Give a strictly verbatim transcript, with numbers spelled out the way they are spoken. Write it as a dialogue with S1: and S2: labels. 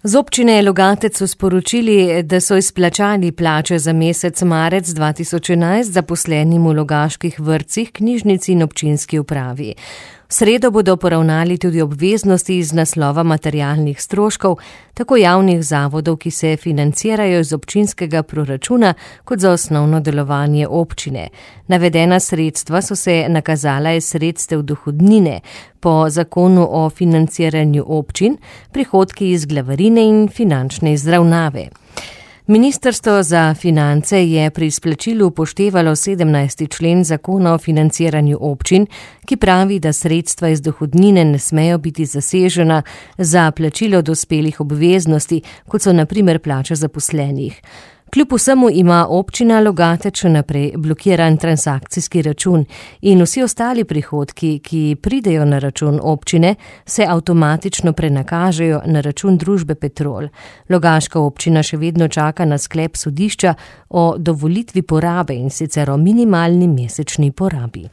S1: Z občine Logatec so sporočili, da so izplačali plače za mesec marec dva tisoč enajst zaposlenim v logaških vrtcih, knjižnici in občinski upravi. V sredo bodo poravnali tudi obveznosti iz naslova materialnih stroškov, tako javnih zavodov, ki se financirajo iz občinskega proračuna, kot za osnovno delovanje občine. Navedena sredstva so se nakazala iz sredstev dohodnine po zakonu o financiranju občin, prihodki iz glavarine in finančne izravnave. Ministrstvo za finance je pri izplačilu upoštevalo sedemnajsti člen zakona o financiranju občin, ki pravi, da sredstva iz dohodnine ne smejo biti zasežena za plačilo dospelih obveznosti, kot so na primer plače zaposlenih. Kljub vsemu ima občina Logatec še naprej blokiran transakcijski račun in vsi ostali prihodki, ki pridejo na račun občine, se avtomatično prenakažejo na račun družbe Petrol. Logaška občina še vedno čaka na sklep sodišča o dovolitvi porabe in sicer o minimalni mesečni porabi.